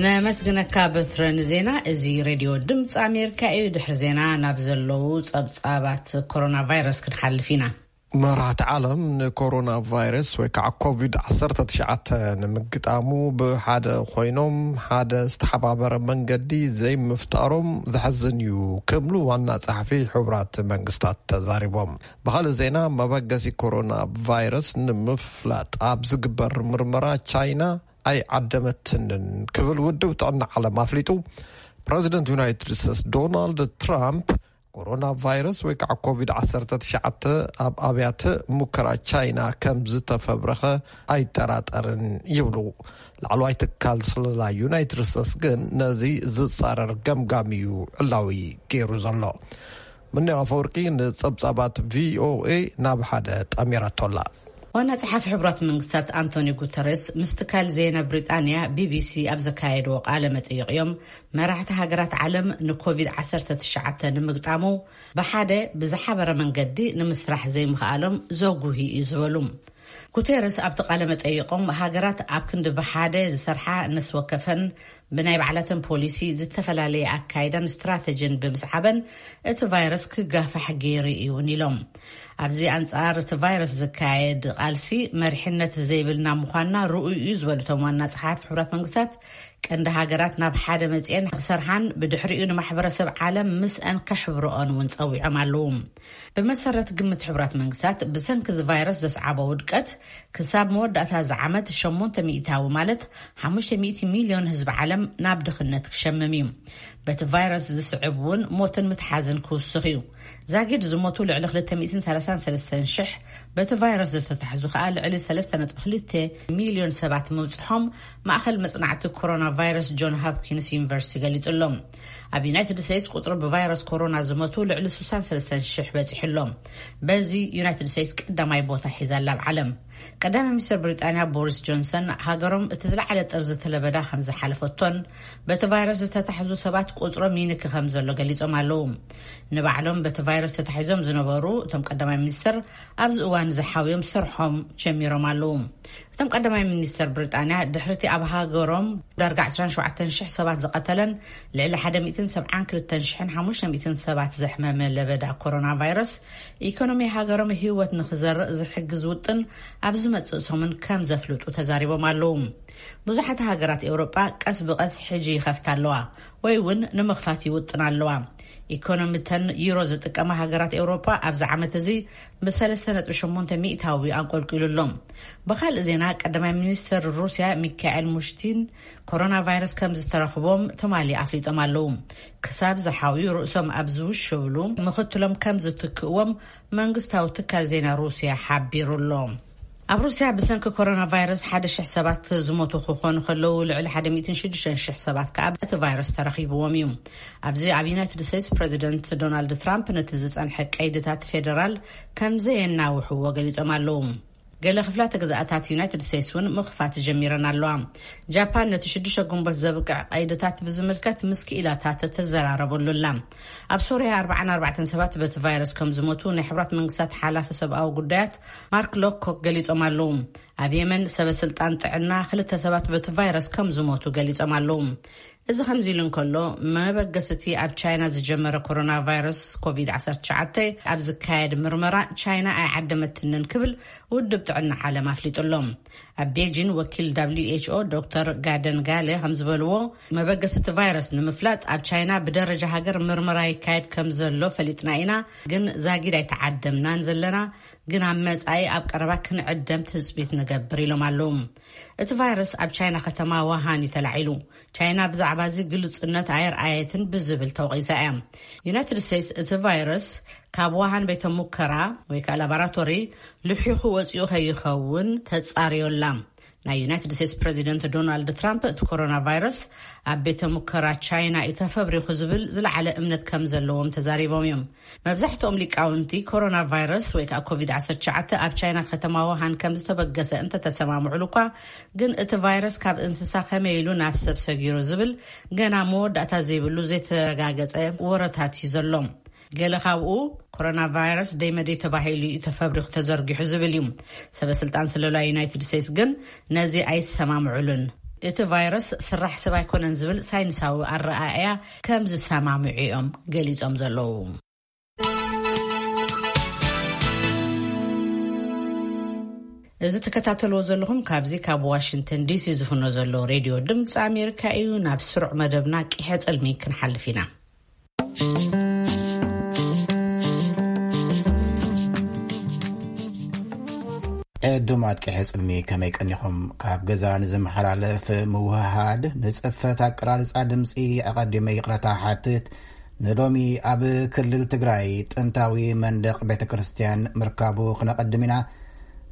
ነመስግነካ በትረ ንዜና። እዚ ሬድዮ ድምፂ ኣሜሪካ እዩ። ድሕሪ ዜና ናብ ዘለዉ ጸብጻባት ኮሮና ቫይረስ ክንሓልፍ ኢና። መራሕቲ ዓለም ንኮሮና ቫይረስ ወይ ከዓ ኮቪድ ዓሰርተ ትሽዓተ ንምግጣሙ ብሓደ ኮይኖም ሓደ ዝተሓባበረ መንገዲ ዘይምፍጣሮም ዘሕዝን እዩ ክብሉ ዋና ጸሓፊ ሕቡራት መንግስታት ተዛሪቦም። ብኻልእ ዜና፣ መበገሲ ኮሮና ቫይረስ ንምፍላጥ ኣብ ዝግበር ምርመራ ቻይና ኣይዓደመትንን ክብል ውድብ ጥዕና ዓለም ኣፍሊጡ። ፕረዚደንት ዩናይትድ ስቴትስ ዶናልድ ትራምፕ ኮሮና ቫይረስ ወይ ከዓ ኮቪድ ዓሰርተ ትሽዓተ ኣብ ኣብያተ ሙከራ ቻይና ከም ዝተፈብረኸ ኣይጠራጠርን ይብሉ። ላዕለዋይ ትካል ስለላ ዩናይትድ ስቴትስ ግን ነዚ ዝጻረር ገምጋም እዩ ዕላዊ ገይሩ ዘሎ። ምንያ ኣፈወርቂ ንጸብጻባት ቪኦኤ ናብ ሓደ ጠሚራቶ ኣላ። ዋና ጸሓፊ ሕቡራት መንግስታት ኣንቶኒ ጉተሬስ ምስ ትካል ዜና ብሪጣንያ ቢቢሲ ኣብ ዘካየድዎ ቃለ መጠይቕ እዮም፣ መራሕቲ ሃገራት ዓለም ንኮቪድ ዓሰርተ ትሽዓተ ንምግጣሙ ብሓደ ብዝሓበረ መንገዲ ንምስራሕ ዘይምኽኣሎም ዘጉሂ እዩ ዝበሉ። ጉተሬስ ኣብቲ ቃለ መጠይቖም፣ ሃገራት ኣብ ክንዲ ብሓደ ዝሰርሓ ነፍሲ ወከፈን ብናይ ባዕላተን ፖሊሲ ዝተፈላለየ ኣካይዳን ስትራተጂን ብምስዓበን እቲ ቫይረስ ክጋፋሕ ገይሩ እዩ እውን ኢሎም። ኣብዚ ኣንጻር እቲ ቫይረስ ዝካየድ ቃልሲ መሪሕነት ዘይብልና ምዃንና ርኡይ እዩ ዝበሉ እቶም ዋና ጸሓፊ ሕቡራት መንግስታት፣ ቀንዲ ሃገራት ናብ ሓደ መጽኤን ክሰርሓን ብድሕሪኡ ንማሕበረሰብ ዓለም ምስአን ከሕብረኦን እውን ጸዊዖም ኣለዉ። ብመሰረት ግምት ሕቡራት መንግስታት፣ ብሰንኪ እዚ ቫይረስ ዘስዓቦ ውድቀት ክሳብ መወዳእታ እዚ ዓመት ሸሞንተ ሚእታዊ ማለት ሓሙሽተ ሚእቲ ሚልዮን ህዝቢ ዓለም ናብ ድኽነት ክሸምም እዩ። በቲ ቫይረስ ዝስዕብ እውን ሞትን ምትሓዝን ክውስኽ እዩ። ዛጊድ ዝሞቱ ልዕሊ ክልተ ሚእትን ሰላሳን ሰለስተን ሽሕ፣ በቲ ቫይረስ ዝተታሕዙ ከኣ ልዕሊ ሰለስተ ነጥቢ ክልተ ሚልዮን ሰባት ምብጽሖም ማእኸል መጽናዕቲ ኮሮና ቫይረስ ጆን ሆፕኪንስ ዩኒቨርሲቲ ገሊጹ ኣሎ። ኣብ ዩናይትድ ስቴትስ ቁጽሪ ብቫይረስ ኮሮና ዝሞቱ ልዕሊ ስሳን ሰለስተን ሽሕ በጺሑ ኣሎ። በዚ ዩናይትድ ስቴትስ ቀዳማይ ቦታ ሒዛ ኣላ ኣብ ዓለም። ቀዳማይ ሚኒስትር ብሪጣንያ ቦሪስ ጆንሰን፣ ሃገሮም እቲ ዝለዓለ ጥርዚ እቲ ለበዳ ከም ዝሓለፈቶን በቲ ቫይረስ ዝተታሕዙ ሰባት ቁጽሮም ይንኪ ከም ዘሎ ገሊጾም ኣለዉ። ንባዕሎም በቲ ቫይረስ ተታሒዞም ዝነበሩ እቶም ቀዳማይ ሚኒስትር ኣብዚ እዋን ዝሓውዮም ስርሖም ጀሚሮም ኣለዉ። እቶም ቀዳማይ ሚኒስተር ብሪጣንያ፣ ድሕሪቲ ኣብ ሃገሮም ዳርጋ ዕስራን ሸውዓተን ሽሕ ሰባት ዝቐተለን ልዕሊ ሓደ ሚእትን ሰብዓን ክልተን ሽሕን ሓሙሽተ ሚእትን ሰባት ዘሕመመ ለበዳ ኮሮና ቫይረስ፣ ኢኮኖሚ ሃገሮም ህይወት ንኽዘርእ ዝሕግዝ ውጥን ኣብ ዝመጽእ ሰሙን ከም ዘፍልጡ ተዛሪቦም ኣለዉ። ብዙሓት ሃገራት ኤውሮጳ ቀስ ብቐስ ሕጂ ይኸፍታ ኣለዋ ወይ እውን ንምኽፋት ይውጥና ኣለዋ። ኢኮኖሚተን ዩሮ ዝጥቀማ ሃገራት ኤውሮጳ ኣብዚ ዓመት እዚ ብ3.8 ሚእታዊ ኣንቆልቂሉ ኣሎ። ብኻልእ ዜና፣ ቀዳማይ ሚኒስትር ሩስያ ሚካኤል ሙሽቲን ኮሮና ቫይረስ ከም ዝተረኽቦም ትማሊ ኣፍሊጦም ኣለዉ። ክሳብ ዝሓውዩ ርእሶም ኣብ ዝውሸብሉ ምኽትሎም ከም ዝትክእዎም መንግስታዊ ትካል ዜና ሩስያ ሓቢሩ ኣሎ። ኣብ ሩስያ ብሰንኪ ኮሮና ቫይረስ ሓደ ሽሕ ሰባት ዝሞቱ ክኾኑ ከለዉ፣ ልዕሊ ሓደ ሚእትን ሽዱሽተን ሽሕ ሰባት ከኣ እቲ ቫይረስ ተረኺብዎም እዩ። ኣብዚ ኣብ ዩናይትድ ስቴትስ፣ ፕረዚደንት ዶናልድ ትራምፕ ነቲ ዝጸንሐ ቀይድታት ፌደራል ከም ዘየናውሕዎ ገሊጾም ኣለዉ። ገለ ክፍላተ ግዝኣታት ዩናይትድ ስቴትስ እውን ምኽፋት ጀሚረን ኣለዋ። ጃፓን ነቲ ሽዱሽተ ግንቦት ዘብቅዕ ቀይድታት ብዝምልከት ምስ ክኢላታት ትዘራረበሉ ኣላ። ኣብ ሶርያ ኣርባዓን ኣርባዕተን ሰባት በቲ ቫይረስ ከም ዝሞቱ ናይ ሕቡራት መንግስታት ሓላፊ ሰብኣዊ ጉዳያት ማርክ ሎኮክ ገሊጾም ኣለዉ። ኣብ የመን ሰበ ስልጣን ጥዕና ክልተ ሰባት በቲ ቫይረስ ከም ዝሞቱ ገሊጾም ኣለዉ። እዚ ከምዚ ኢሉ እንከሎ፣ መበገሲ እቲ ኣብ ቻይና ዝጀመረ ኮሮና ቫይረስ ኮቪድ ዓሰርተ ትሽዓተ ኣብ ዝካየድ ምርመራ ቻይና ኣይዓደመትንን ክብል ውድብ ጥዕና ዓለም ኣፍሊጡ ኣሎ። ኣብ ቤጂን ወኪል ደብሊው ኤች ኦ ዶክተር ጋደን ጋለ ከም ዝበልዎ፣ መበገሲ እቲ ቫይረስ ንምፍላጥ ኣብ ቻይና ብደረጃ ሃገር ምርመራ ይካየድ ከም ዘሎ ፈሊጥና ኢና፣ ግን ዛጊድ ኣይተዓደምናን ዘለና፣ ግን ኣብ መጻኢ ኣብ ቀረባ ክንዕደም ትጽቢት ንገብር ኢሎም ኣለዉ። እቲ ቫይረስ ኣብ ቻይና ከተማ ዋሃን እዩ ተላዒሉ። ቻይና ብዛዕባ እዚ ግልጽነት ኣየርኣየትን ብዝብል ተወቒሳ እያ። ዩናይትድ ስቴትስ እቲ ቫይረስ ካብ ዋሃን ቤተ ሙከራ ወይ ከዓ ላቦራቶሪ ልሒኹ ወፂኡ ከይኸውን ተጻርዮ ኣላ። ናይ ዩናይትድ ስቴትስ ፕረዚደንት ዶናልድ ትራምፕ እቲ ኮሮና ቫይረስ ኣብ ቤተ ሙከራ ቻይና እዩ ተፈብሪኹ ዝብል ዝለዓለ እምነት ከም ዘለዎም ተዛሪቦም እዮም። መብዛሕትኦም ሊቃውንቲ ኮሮና ቫይረስ ወይ ከዓ ኮቪድ ዓሰርተ ትሽዓተ ኣብ ቻይና ከተማ ዋሃን ከም ዝተበገሰ እንተተሰማምዑሉ እኳ፣ ግን እቲ ቫይረስ ካብ እንስሳ ከመይ ኢሉ ናብ ሰብ ሰጊሩ ዝብል ገና መወዳእታ ዘይብሉ ዘይተረጋገጸ ወረታት እዩ ዘሎ። ገለ ካብኡ ኮሮና ቫይረስ ደይመደይ ተባሂሉ እዩ ተፈብሪኹ ተዘርጊሑ ዝብል እዩ። ሰበ ስልጣን ስለላ ዩናይትድ ስቴትስ ግን ነዚ ኣይሰማምዑሉን። እቲ ቫይረስ ስራሕ ሰብ ኣይኮነን ዝብል ሳይንሳዊ ኣረኣእያ ከም ዝሰማምዑ እዮም ገሊጾም ዘለዉ። እዚ ትከታተልዎ ዘለኹም ካብዚ ካብ ዋሽንግተን ዲሲ ዝፍኖ ዘሎ ሬድዮ ድምፂ ኣሜሪካ እዩ። ናብ ስሩዕ መደብና ቂሐ ጽልሚ ክንሓልፍ ኢና። ዕዱማት ቂሐ ጽልሚ ከመይ ቀኒኹም? ካብ ገዛ ንዝመሓላለፍ ምውህሃድ ንጽፈት ኣቀራርጻ ድምፂ ኣቐዲመ ይቕረታ ሓትት። ንሎሚ ኣብ ክልል ትግራይ ጥንታዊ መንደቕ ቤተ ክርስቲያን ምርካቡ ክነቐድም ኢና።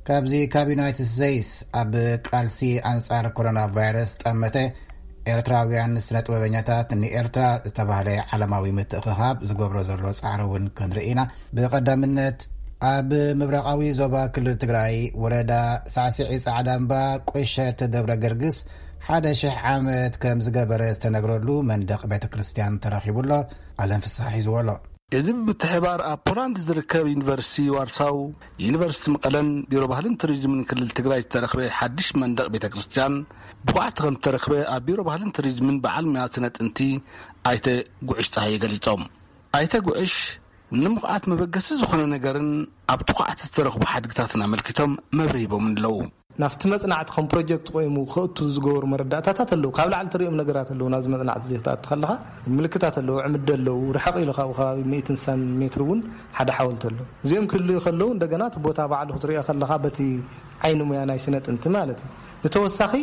ካብዚ ካብ ዩናይትድ ስቴትስ ኣብ ቃልሲ ኣንጻር ኮሮና ቫይረስ ጠመተ ኤርትራውያን ስነ ጥበበኛታት ንኤርትራ ዝተባህለ ዓለማዊ ምትእኽኻብ ዝገብሮ ዘሎ ጻዕሪ እውን ክንርኢ ኢና። ብቐዳምነት ኣብ ምብራቓዊ ዞባ ክልል ትግራይ ወረዳ ሳዕስዒ ጻዕዳ እምባ ቁሸት ደብረ ገርግስ ሓደ ሽሕ ዓመት ከም ዝገበረ ዝተነግረሉ መንደቕ ቤተ ክርስቲያን ተረኺቡ ኣሎ። ኣለም ፍስሓ ሒዝዎ ኣሎ። እዚ ብምትሕባር ኣብ ፖላንድ ዝርከብ ዩኒቨርሲቲ ዋርሳው፣ ዩኒቨርሲቲ መቐለን ቢሮ ባህልን ቱሪዝምን ክልል ትግራይ ዝተረኽበ ሓድሽ መንደቕ ቤተ ክርስቲያን ብቑዓት ከም ዝተረኽበ ኣብ ቢሮ ባህልን ቱሪዝምን በዓል ሙያ ስነ ጥንቲ ኣይተ ጉዕሽ ጸሃየ ገሊጾም። ኣይተ ጉዕሽ ንምኹዓት መበገሲ ዝኾነ ነገርን ኣብ ትኹዓት ዝተረኽቡ ሓድግታትን ኣመልኪቶም መብርሂ ሂቦም ኣለዉ። ናብቲ መጽናዕቲ ከም ፕሮጀክት ቆይሙ ክእቱ ዝገበሩ መረዳእታታት ኣለዉ። ካብ ላዕሊ ትሪኦም ነገራት ኣለዉ። ናብዚ መጽናዕቲ እዚ ክትኣቱ ከለኻ ምልክታት ኣለዉ፣ ዕምዲ ኣለዉ፣ ርሕቕ ኢሉ ካብኡ ከባቢ ሚእትን ስሳን ሜትር እውን ሓደ ሓወልቲ ኣሎ። እዚኦም ክህልዩ ከለዉ እንደገና እቲ ቦታ ባዕሉ ክትሪኦ ከለኻ በቲ ዓይኒ ሙያ ናይ ስነ ጥንቲ ማለት እዩ። ንተወሳኺ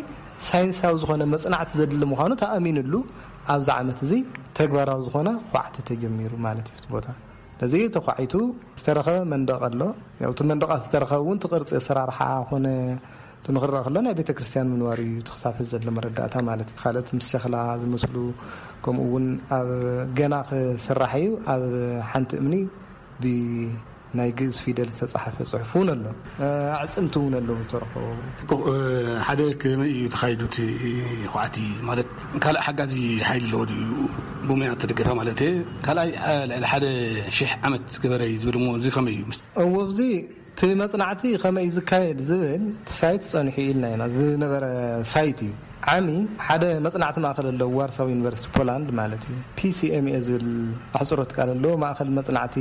ሳይንሳዊ ዝኾነ መጽናዕቲ ዘድሊ ምዃኑ ተኣሚንሉ ኣብዚ ዓመት እዚ ተግባራዊ ዝኾነ ኳዕቲ ተጀሚሩ ማለት እዩ። እቲ ቦታ ነዚ ተኳዒቱ ዝተረኸበ መንደቕ ኣሎ። ያው እቲ መንደቓት ዝተረኸበ እውን እቲ ቅርጺ ኣሰራርሓ ኮነ እቲ ንኽረኣ ከሎ ናይ ቤተ ክርስቲያን ምንባር እዩ እቲ ክሳብ ሕዚ ዘሎ መረዳእታ ማለት እዩ። ካልኦት ምስ ሸኽላ ዝመስሉ ከምኡ እውን ኣብ ገና ክስራሕ እዩ። ኣብ ሓንቲ እምኒ ብናይ ግእዝ ፊደል ዝተጻሕፈ ጽሑፍ እውን ኣሎ። ኣዕጽምቲ እውን ኣለዉ ዝተረኸቡ። ጽቡቕ። ሓደ ከመይ እዩ ተኻይዱ እቲ ኳዕቲ ማለት ካልእ ሓጋዚ ሓይሊ ኣለዎ ድዩ? ብሙያ እተደገፈ ማለት እየ። ካልኣይ ልዕሊ ሓደ ሽሕ ዓመት ገበረ እዩ ዝብል እሞ እዚ ከመይ እዩ? እዎ፣ ኣብዚ እቲ መጽናዕቲ ከመይ እዩ ዝካየድ ዝብል እቲ ሳይት ጸኒሑ ኢልና ኢና። ዝነበረ ሳይት እዩ። ዓሚ ሓደ መጽናዕቲ ማእከል ኣለዎ፣ ዋርሳው ዩኒቨርሲቲ ፖላንድ ማለት እዩ። ፒሲኤምኤ ዝብል ኣሕጽሮት ቃል ኣለዎ፣ ማእከል መጽናዕቲ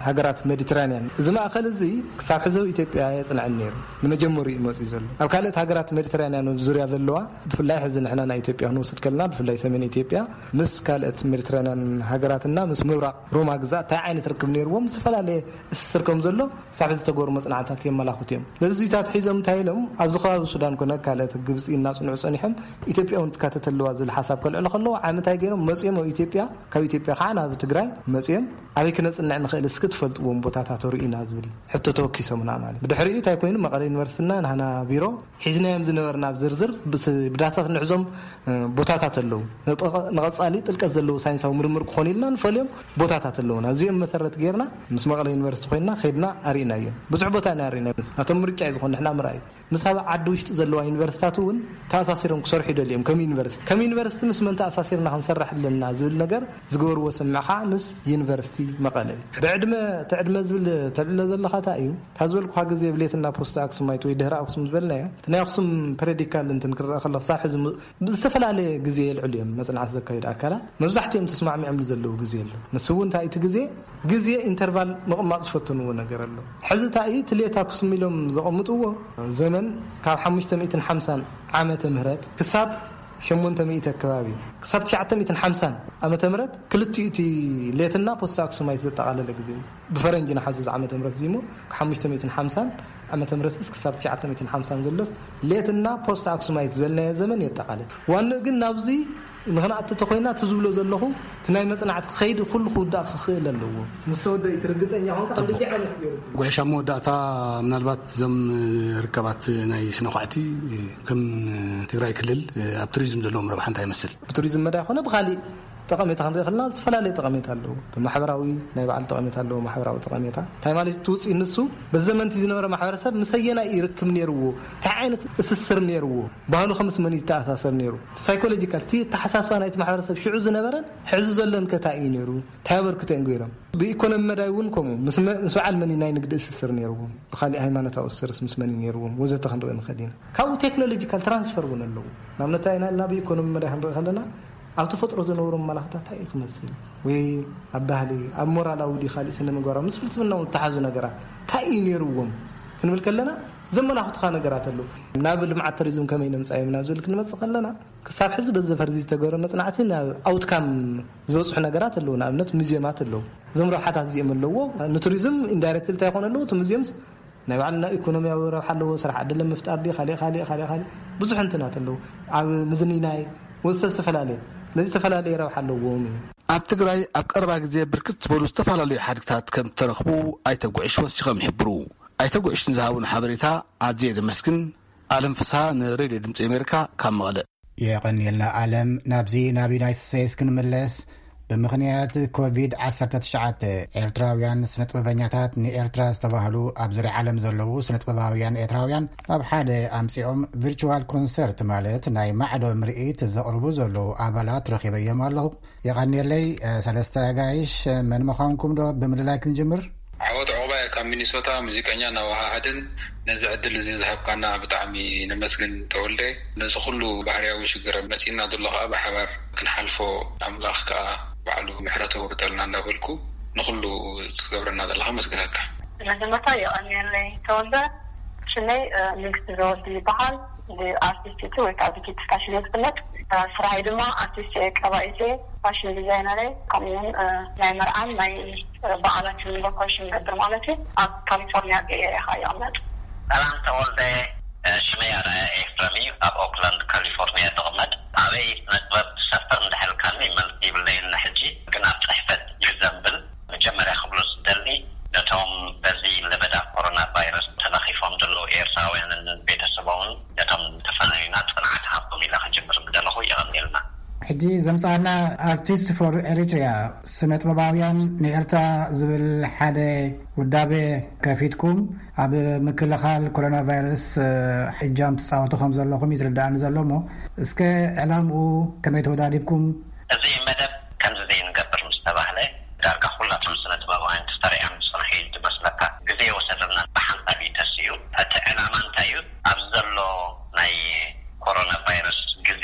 ሃገራት ሜዲትራንያን። እዚ ማእከል እዚ ክሳብ ሕዚ ኣብ ኢትዮጵያ የጽንዐን ነይሩ። ንመጀመሪኡ እዩ መጺኡ ዘሎ። ኣብ ካልኦት ሃገራት ሜዲትራንያን ዙርያ ዘለዋ፣ ብፍላይ ሕዚ ንሕና ናይ ኢትዮጵያ ክንወስድ ከለና፣ ብፍላይ ሰሜን ኢትዮጵያ ምስ ካልኦት ሜዲትራንያን ሃገራትና ምስ ምብራቕ ሮማ ግዛእ እንታይ ዓይነት ርክብ ነይርዎም ዝተፈላለየ እስትር ከም ዘሎ ሳብ ዝተገበሩ መጽናዕታት የመላኽቱ እዮም። ነዚታት ሒዞም እንታይ ኢሎም፣ ኣብዚ ከባቢ ሱዳን ኮነ ካልኦት ግብጺ እናጽንዑ ጸኒሖም፣ ኢትዮጵያ እውን ትካተት ኣለዋ ዝብል ሓሳብ ከልዕሉ ከለዉ፣ ዓሚ እንታይ ገይሮም መጺኦም ኣብ ኢትዮጵያ፣ ካብ ኢትዮጵያ ከዓ ናብ ትግራይ መጺኦም፣ ኣበይ ክነጽንዕ ንኽእል እስኪ ትፈልጥዎም ቦታታት ርኡና ዝብል ሕቶ ተወኪሶምና ማለት። ብድሕሪኡ እንታይ ኮይኑ፣ መቐለ ዩኒቨርሲቲና ናህና ቢሮ ሒዝናዮም ዝነበርና ኣብ ዝርዝር ብስ-፣ ብዳሳት ንሕዞም፣ እ፣ ቦታታት ኣለዉ። ንጠ-፣ ንቐጻሊ ጥልቀት ዘለዎ ሳይንሳዊ ምርምር ክኾኑ ኢልና ንፈልዮም ቦታታት ኣለዉና። እዚኦም መሰረት ጌርና ምስ መቐለ ዩኒቨርሲቲ ኮይንና ከይድና ኣርኢናዮም። ብዙሕ ቦታ ኢና ኣርኢናዮም። ናቶም ምርጫ እዩ ዝኾን ንሕና ምርኣይ። ምስ ኣብ ዓዲ ውሽጢ ዘለዋ ዩኒቨርሲታት እውን ተኣሳሲሮም ክሰርሑ ይደልዮም። ከም ዩኒቨርሲቲ፣ ከም ዩኒቨርሲቲ ምስ መን ተኣሳሲርና ክንሰርሕ ኣለና ዝብል ነገር ዝገበርዎ ስምምዕ ከዓ ምስ ዩኒቨርሲቲ መቐለ እዩ። ብዕድመ፣ እቲ ዕድመ ዝብል ተልዕሎ ዘለኻ እንታይ እዩ? እታ ዝበልኩኻ ግዜ ብሌትና ፖስት ኣክሱማይት ወይ ድህረ ኣክሱም ዝበልናዮ፣ እቲ ናይ ኣክሱም ፐረዲካል እንትን ክረኣ ከሎ ክሳብ ሕዚ ም-፣ ብዝተፈላለየ ግዜ የልዕሉ እዮም መጽናዕቲ ዘካየዱ ኣካላት። መብዛሕትኦም ተስማዕሚዖምሉ ዘለዉ ግዜ ኣሎ። ንሱ እውን እንታይ እቲ ግዜ፣ ግዜ ኢንተርቫል ምቕማጥ ዝፈተንዎ ነገር ኣሎ። ሕዚ እንታይ እዩ፣ እቲ ሌት ኣክሱም ኢሎም ዘቐምጥዎ ዘመን ካብ ሓሙሽተ ሚእትን ሓምሳን ዓመተ ምህረት ክሳብ ሸሞንተ ሚእቲ ኣከባቢ፣ ክሳብ ትሽዓተ ሚእትን ሓምሳን ዓመተ ምህረት ክልቲኡ እቲ ሌትና ፖስት ኣክሱማይት ዘጠቓለለ ግዜ እዩ። ብፈረንጂ ንሓስብ ዓመተ ምህረት እዚ እሞ ካብ ሓሙሽተ ሚእትን ሓምሳን ዓመተ ምህረት ክሳብ ትሽዓተ ሚእትን ሓምሳን ዘሎስ ሌትና ፖስት ኣክሱማይት ዝበልናዮ ዘመን የጠቓልል። ዋንኡ ግን ናብዚ ንኽንኣቲ ተኾይና እቲ ዝብሎ ዘለኹ እቲ ናይ መጽናዕቲ ከይዲ ኩሉ ክውዳእ ክኽእል ኣለዎ። ምስ ተወደአ እቲ ርግጸኛ ኾንካ ጽቡቅ። ክንድዚ ዓይነት ገይሩ እቲ ጉዕሽ ኣብ መወዳእታ ምናልባት እዞም ርከባት ናይ ስነ ኳዕቲ ከም ትግራይ ክልል ኣብ ቱሪዝም ዘለዎም ረብሓ እንታይ ይመስል? ብቱሪዝም መዳይ ኮነ ብኻሊእ ጠቐሜታ ክንርኢ ከለና ዝተፈላለየ ጠቐሜታ ኣለዎ። ማሕበራዊ ናይ ባዕሉ ጠቐሜታ ኣለዎ፣ ማሕበራዊ ጠቐሜታ። እንታይ ማለት እቲ ውፅኢት ንሱ በዚ ዘመንቲ ዝነበረ ማሕበረሰብ ምስ ኣየናይ ይርክብ ነይርዎ፣ እንታይ ዓይነት እስስር ነይርዎ፣ ባህሉ ከምስ መን ይተኣሳሰር ነይሩ፣ ሳይኮሎጂካል እቲ ኣተሓሳስባ ናይቲ ማሕበረሰብ ሽዑ ዝነበረን ሕዚ ዘሎን ከታይ እዩ ነይሩ፣ እንታይ ኣበርክቶ እዮም ገይሮም። ብኢኮኖሚ መዳይ እውን ከምኡ ምስ መ-፣ ምስ በዓል መን እዩ ናይ ንግዲ እስስር ነይርዎም፣ ብካሊእ ሃይማኖታዊ እስርስ ምስ መን እዩ ነይርዎም ወዘተ ክንርኢ ንኽእል ኢና። ካብኡ ቴክኖሎጂካል ትራንስፈር እውን ኣለዎ። ንኣብነት እንታይ ኢና ኢልና ብኢኮኖሚ መዳይ ክንርኢ ከለና ኣብ ተፈጥሮ ዝነበሮም መላኽታት እንታይ እዩ ክመስል ወይ ኣብ ባህሊ ኣብ ሞራላዊ ድዩ ካሊእ ስነ ምግባራዊ ምስ ፍልስፍና እውን ዝተሓዙ ነገራት እንታይ እዩ ነይርዎም ክንብል ከለና ዘመላኽቱኻ ነገራት ኣለዉ። ናብ ልምዓት ቱሪዝም ከመይ ነምጻዮም ናብ ዝብል ክንመጽእ ከለና ክሳብ ሕዚ በዚ ፈርዚ ዝተገብረ መጽናዕቲ ናብ ኣውትካም ዝበጽሑ ነገራት ኣለዉ። ንኣብነት ሙዚየማት ኣለዉ። እዞም ረብሓታት እዚኦም ኣለዎ። ንቱሪዝም ኢንዳይሬክት እንታይ ይኾኑ ኣለዉ? እቲ ሙዚየምስ ናይ ባዕልና ኢኮኖሚያዊ ረብሓ ኣለዎ። ስራሕ ዕድል ምፍጣር ድዩ? ካልእ፣ ካልእ፣ ካልእ፣ ካልእ ብዙሕ እንትናት ኣለዉ። ኣብ ምዝንይናይ ወዘተ ዝተፈላለየ፣ ነዚ ዝተፈላለየ ረብሓ ኣለዎም እዩ። ኣብ ትግራይ ኣብ ቀረባ ግዜ ብርክት ዝበሉ ዝተፈላለዩ ሓድግታት ከም እተረኽቡ ኣይተ ጉዕሽ ወሲኾም ይሕብሩ። ኣይተ ጉዕሽ ንዝሃቡን ሓበሬታ ኣዝየ ዘመስግን። ኣለም ፍስሃ ንሬድዮ ድምፂ ኣሜሪካ ካብ መቐለ። የቐንየልና ኣለም። ናብዚ ናብ ዩናይትድ ስቴትስ ክንምለስ። ብምኽንያት ኮቪድ ዓሰርተ ትሽዓተ ኤርትራውያን ስነጥበበኛታት ንኤርትራ ዝተባህሉ ኣብ ዙርያ ዓለም ዘለዉ ስነጥበባውያን ኤርትራውያን ኣብ ሓደ ኣምጺኦም ቪርቹዋል ኮንሰርት ማለት ናይ ማዕዶ ምርኢት ዘቕርቡ ዘለዉ ኣባላት ረኺበዮም ኣለኹ። የቐንየለይ። ሰለስተ ኣጋይሽ መን ምዃንኩም ዶ ብምልላይ ክንጅምር? ዓወት ዑቕባይ ካብ ሚኒሶታ ሙዚቀኛ ናዋሃሃድን ነዚ ዕድል እዚ ዝሃብካና ብጣዕሚ ነመስግን ተወልደ። ነዚ ኩሉ ባህርያዊ ሽግር መጺእና ዘሎ ከኣ ብሓባር ክንሓልፎ ኣምላኽ ከኣ ባዕሉ ምሕረት የውርደልና እንዳበልኩ ንኩሉ ዝገብረና ዘለኻ መስግነካ። መጀመርታ የቐንየለይ ተወልደ። ሽመይ ንግስቲ ዘወዲ ይበሃል። ኣርቲስት ወይ ከዓ ዲጂት ፋሽን እየ ዝፍለጥ። ስራይ ድማ ኣርቲስት እየ፣ ቀባኢት እየ፣ ፋሽን ዲዛይነር እየ። ከምኡውን ናይ መርዓን ናይ በዓላትን ሎኮሽን ገብር ማለት እዩ። ኣብ ካሊፎርኒያ ቤይ ኤርያ ከዓ ይቕመጥ። ሰላም ተወልደ። ሽመይ ኣርኣያ ኤፍረም እዩ። ኣብ ኦክላንድ ካሊፎርኒያ ዝቕመጥ። ኣበይ ስነ ጥበብ ትሰፍር እንዳሕልካኒ መልሲ ይብለይን ሕጂ ግን ኣብ ጽሕፈት ይዘንብል። መጀመርያ ክብሎ ዝደሊ ነቶም በዚ ለበዳ ኮሮና ቫይረስ ተለኺፎም ዘለዉ ኤርትራውያንን ቤተሰቦምን ነቶም ዝተፈናዩና ጽንዓት ሃቦም ኢለ ክጅምር ምደለኹ። የቐንየልና። ሕጂ ዘምጻና ኣርቲስት ፎር ኤሪትሪያ ስነ ጥበባውያን ንኤርትራ ዝብል ሓደ ውዳበ ከፊትኩም ኣብ ምክልኻል ኮሮና ቫይረስ እጃም ትጻወቱ ከም ዘለኹም ይዝርዳእኒ ዘሎ እሞ እስከ ዕላምኡ ከመይ ተወዳዲብኩም? እዚ መደብ ከምዚ ዘይንገብር ምስ ተባህለ ዳርጋ ኩላቶም ስነ ጥበባውያን ተሰሪዖም ዝጸንሑ እዩ ዝመስለካ። ግዜ ወሰደልና ብሓንሳብ እዩ ተሲኡ። እቲ ዕላማ እንታይ እዩ? ኣብዚ ዘሎ ናይ ኮሮና ቫይረስ ግዜ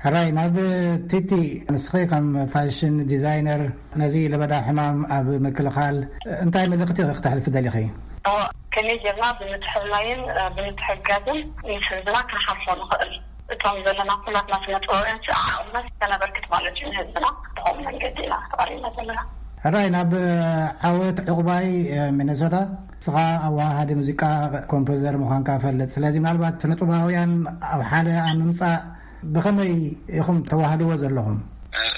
ሕራይ፣ ናብ ቲቲ፣ ንስኺ ከም ፋሽን ዲዛይነር ነዚ ለበዳ ሕማም ኣብ ምክልኻል እንታይ መልእኽቲ ክተሕልፊ ደሊኺ? እወ፣ ከመይ ጌርና ብምትሕልላይን፣ እ፣ ብምትሕጋዝን ምስ ህዝብና ክንሓልፎ ንኽእል? እቶም ዘለና ኩላትና ስነ ጥበባውያን ዓቕምና ከነበርክት ማለት እዩ ንህዝብና። ብኸምኡ መንገዲ ኢና ተቐሪብና ዘለና። ሕራይ፣ ናብ ዓወት ዕቑባይ፣ እ፣ ሚነሶታ፣ ንስኻ ኣወሃሃዲ ሙዚቃ፣ ኮምፖዘር ምዃንካ እፈልጥ። ስለዚ ምናልባት ስነ ጥበባውያን ኣብ ሓደ ኣብ ምምጻእ ብኸመይ ኢኹም ተዋህድዎ ዘለኹም?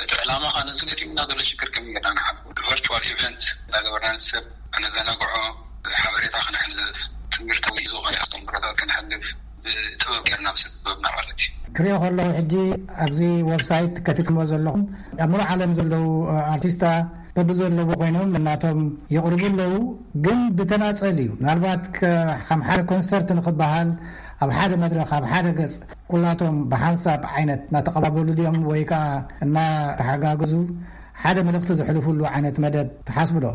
እቲ ዕላማ ኸዓ ነዚ ገጢሙና ዘሎ ሽግር ከመይ ጌርና ንሓልፎ፣ ቨርቹዋል ኢቨንት እናገበርና፣ ሰብ ከነዘናግዖ፣ ሓበሬታ ክነሕልፍ፣ ትምህርታዊ ዝኾነ ኣስተምህሮታት ከነሕልፍ፣ ብጥበብ ጌርና፣ ምስ ጥበብና ማለት እዩ። ክሪኦ ከለኹ፣ ሕጂ ኣብዚ ዌብሳይት ከፊትኩሞ ዘለኹም፣ ኣብ ሙሉእ ዓለም ዘለዉ ኣርቲስታ በብዘለዉ ኮይኖም ናቶም የቕርቡ ኣለዉ፣ ግን ብተናጸል እዩ። ምናልባት ከ-፣ ከም ሓደ ኮንሰርት ንኽበሃል፣ ኣብ ሓደ መድረኽ፣ ኣብ ሓደ ገጽ፣ ኩላቶም ብሓንሳብ ዓይነት እናተቐባበሉ ድዮም ወይ ከኣ እናተሓጋገዙ ሓደ መልእኽቲ ዘሕልፉሉ ዓይነት መደብ ትሓስቡ ዶ?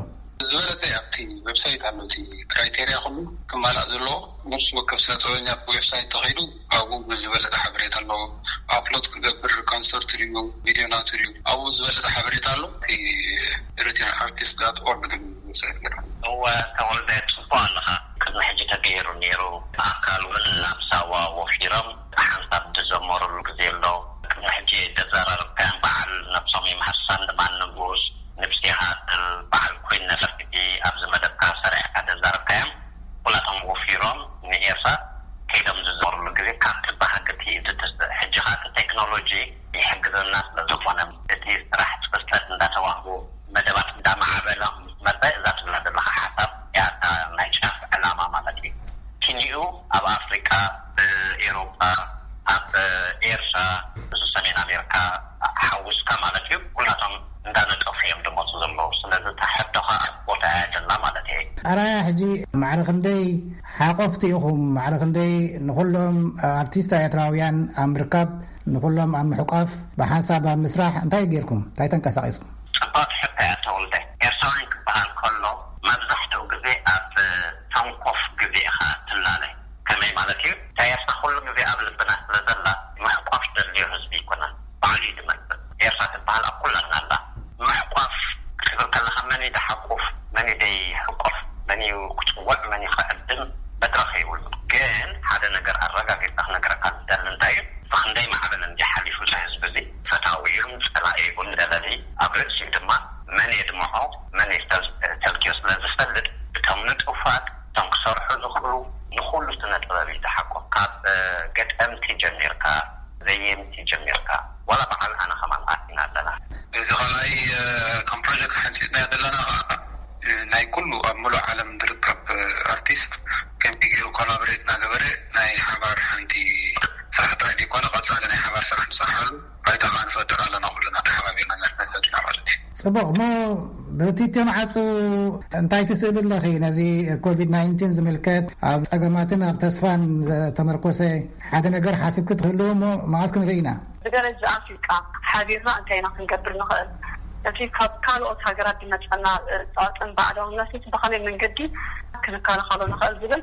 ዝበለጸ ኣብቲ ዌብሳይት ኣሎ፣ እቲ ክራይቴርያ ኩሉ ክማላእ ዘለዎ። ነፍሲ ወከፍ ስነ ጥበበኛ ዌብሳይት ተኸይዱ ኣብኡ ብዝበለጸ ሓበሬታ ኣለዎ። ኣፕሎድ ክገብር ኮንሰርት ድዩ፣ ቪድዮ ናቱ ድዩ፣ ኣብኡ ዝበለጸ ሓበሬታ ኣሎ። እቲ ሪቲን ኣርቲስት ዳት ኦርግ ዝብል ዌብሳይት ገይሩ። እወ፣ ተወልደ፣ ጽቡቕ ኣለኻ። ቅድሚ ሕጂ ተገይሩ ነይሩ። ብኣካል እውን ናብ ሳዋ ወፊሮም ሓንሳብ ዝዘመሩሉ ግዜ ኣሎ። ቅድሚ ሕጂ ደዛራረብካዮም በዓል ነብሶም ይምሃር፣ ሳንድማን ንጉስ፣ ንብሲ ሃድል፣ በዓል ኮይን ነፈርቲ ኣብዚ መደብካ ሰሪዕካ ደዛረብካዮም። ኩላቶም ወፊሮም ንኤርትራ ከይዶም ዝዘመሩሉ ግዜ ካብቲ ባህግቲ ዝትስእ። ሕጂ ኸኣ እቲ ቴክኖሎጂ ይሕግዘና ስለ ዝኾነ፣ እቲ ስራሕ ጽፈት እንዳተዋህቡ፣ መደባት እንዳማዕበለ ምስ መጸ፣ እዛ ትብላ ዘለኻ ሓሳብ እያ እታ ናይ ጫፍ ዕላማ ማለት እዩ። ኪንኡ ኣብ ኣፍሪቃ፣ ኣብ ኤሮጳ፣ ኣብ ኤርትራ፣ እዚ ሰሜን ኣሜሪካ ሓዊስካ ማለት እዩ፣ ኩላቶም እንዳነጠፉ እዮም ዝመፁ ዘለዉ። ስለዚ እታ ሕቶ ኸዓ ኣብ ቦታ እያ ዘላ ማለት እየ። ኣራያ፣ ሕጂ ማዕረ ክንደይ ሓቆፍቲ ኢኹም? ማዕረ ክንደይ ንኹሎም ኣርቲስት ኤርትራውያን ኣብ ምርካብ፣ ንኹሎም ኣብ ምሕቋፍ፣ ብሓንሳብ ኣብ ምስራሕ እንታይ ጌርኩም? እንታይ ተንቀሳቒስኩም? ጽብቕቲ ሕቶ እያ ተወልደ። ኤርትራውያን ክበሃል ከሎ መብዛሕትኡ ግዜ ኣብ ሰንኮፍ ግዜ ኢኻ ትላለ። ከመይ ማለት እዩ? እታ ኤርትራ ኩሉ ግዜ ኣብ ልብና ስለ ዘላ፣ ምሕቋፍ ዘድልዮ ህዝቢ ኣይኮነን። ባዕሉ እዩ ዝመጽእ። ኤርትራ ትበሃል ኣብ ኩላትና ኣላ። ምሕቋፍ ክትብል ከለኻ፣ መን እዩ ዝሓቁፍ፣ መን እዩ ዘይሕቆፍ፣ መን እዩ ክጽውዕ፣ መን እዩ ክዕድም፣ መድረኽ የብሉን። ግን ሓደ ነገር ኣረጋጊጸ ክነግረካ ዝደሊ እንታይ እዩ? ብኽንደይ ማዕበል እንዲ ሓሊፉ እዚ ህዝቢ እዚ፣ ፈታዊ ይኹን ጸላኢ ይኹን ደለሊ፣ ኣብ ርእሲኡ ድማ መን የድምዖ፣ መን የስተል-፣ ተልክዮ ስለ ዝፈልጥ፣ እቶም ንጡፋት፣ እቶም ክሰርሑ ዝኽእሉ፣ ንኹሉ ስነ ጥበብ እዩ ዝሓቁፍ። ካብ፣ እ፣ ገጠምቲ ጀሚርካ፣ ዘየምቲ ጀሚርካ፣ ዋላ በዓል ኣነ ከማን ኣቲና ኣለና። እዚ ኸልኣይ፣ እ፣ ከም ፕሮጀክት ሓንጺጽናዮ ዘለና ኸዓ፣ እ፣ ናይ ኩሉ ኣብ ምሉእ ዓለም ዝርከብ፣ እ፣ ኣርቲስት ከመይ ገይሩ ኮላቦሬት እናገበረ ናይ ሓባር ሓንቲ ስራሕ ጥራይ ዘይኮነ፣ ቀጻሊ ናይ ሓባር ስራሕ ንሰርሓሉ ባይታ ኸዓ ንፈጥር ኣለና፣ ኩልና ተሓባቢርና ንሕና ፈጥና ማለት እዩ። ጽቡቕ። እሞ ብቲትዮ መዓጹ እንታይ ትስእሊ ኣለኺ? ነዚ ኮቪድ ናይንቲን ዝምልከት ኣብ ጸገማትን ኣብ ተስፋን ዝተመርኮሰ ሓደ ነገር ሓሲብኪ ትህልው እሞ መዓስ ክንርኢ ኢና? ብደረጃ ኣፍሪቃ ሓቢርና እንታይ ኢና ክንገብር ንኽእል? እቲ ካብ ካልኦት ሃገራት ዝመጸና፣ እ፣ ጸቕጥን ባዕዳውነትን ብኸመይ መንገዲ ክንከላኸሎ ንኽእል ዝብል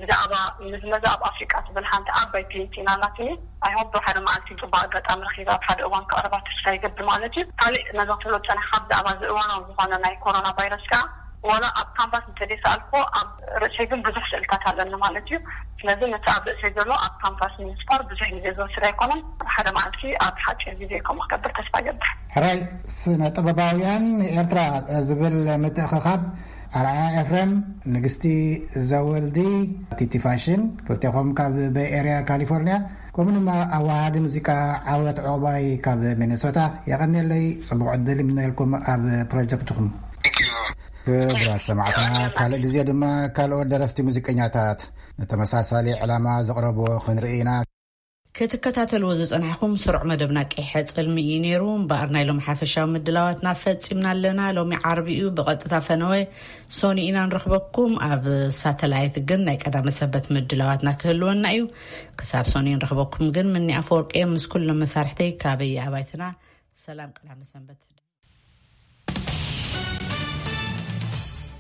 ብዛዕባ ምዝመዛ ኣብ ኣፍሪቃ ትብል ሓንቲ ዓባይ ፔንቲን ኣላትኒ። ኣይሆፕ ሓደ መዓልቲ ጽቡቕ ኣጋጣሚ ረኺበ ኣብ ሓደ እዋን ከቕርባ ተስፋ ይገብር ማለት እዩ። ካሊእ ነዛ ትብሎ ዝጸናሕካ ብዛዕባ እዚ እዋናዊ ዝኾነ ናይ ኮሮና ቫይረስ ከኣ ዋላ ኣብ ካንቫስ እንተዘይሰኣልኩዎ ኣብ ርእሰይ ግን ብዙሕ ስእልታት ኣለኒ ማለት እዩ። ስለዚ ነቲ ኣብ ርእሰይ ዘሎ ኣብ ካንቫስ ንምስፋር ብዙሕ ግዜ ዝወስድ ኣይኮነን። ሓደ መዓልቲ ኣብ ሓጺር ግዜ ከምኡ ክገብር ተስፋ ይገብር። ሕራይ፣ ስነ ጥበባውያን ኤርትራ ዝብል ምትእኽኻብ ኣርኣያ ኤፍሬም፣ ንግስቲ ዘወልዲ፣ ቲቲ ፋሽን፣ ክልቴኹም ካብ ቤይ ኤርያ ካሊፎርንያ፣ ከምኡ ድማ ኣወሃሃዲ ሙዚቃ ዓወት ዑቕባይ ካብ ሚነሶታ፣ የቐንየለይ፣ ጽቡቕ ዕድል ይምነየልኩም ኣብ ፕሮጀክትኹም። ክቡራት ሰማዕትና፣ ካልእ ግዜ ድማ ካልኦት ደረፍቲ ሙዚቀኛታት ንተመሳሳሊ ዕላማ ዘቕረብዎ ክንርኢ ኢና። ክትከታተልዎ ዝጸናሕኩም ስሩዕ መደብና ቀይሐ ጽልሚ እዩ ነይሩ። እምበኣር ናይ ሎም ሓፈሻዊ ምድላዋትና ፈጺምና ኣለና። ሎሚ ዓርቢ እዩ፣ ብቐጥታ ፈነወ ሶኒ ኢና ንረኽበኩም። ኣብ ሳተላይት ግን ናይ ቀዳመ ሰንበት ምድላዋትና ክህልወና እዩ። ክሳብ ሶኒ ንረኽበኩም ግን፣ ምኒ ኣፈወርቂ እየ ምስ ኩሎም መሳርሕተይ ካበይ ኣባይትና። ሰላም ቀዳመ ሰንበት።